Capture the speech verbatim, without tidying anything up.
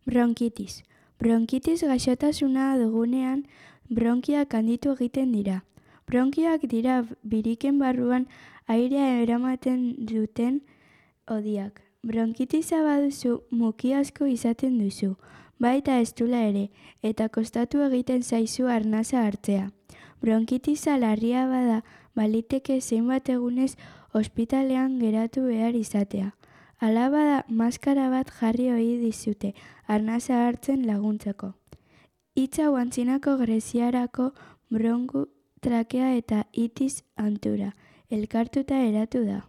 Bronkitis. Bronkitis gaixotasuna dugunean bronkiak handitu egiten dira. Bronkioak dira biriken barruan airea eramaten duten hodiak. Bronkitisa baduzu muki asko izaten duzu, baita estula ere, eta kostatu egiten zaizu arnasa hartzea. Bronkitisa larria bada, baliteke zenbat egunez ospitalean geratu behar izatea. Hala bada, maskara bat jarri ohi dizute arnasa hartzen laguntzeko. Hitz hau antzinako greziarako bronku, trakea eta itis antura elkartuta eratu da.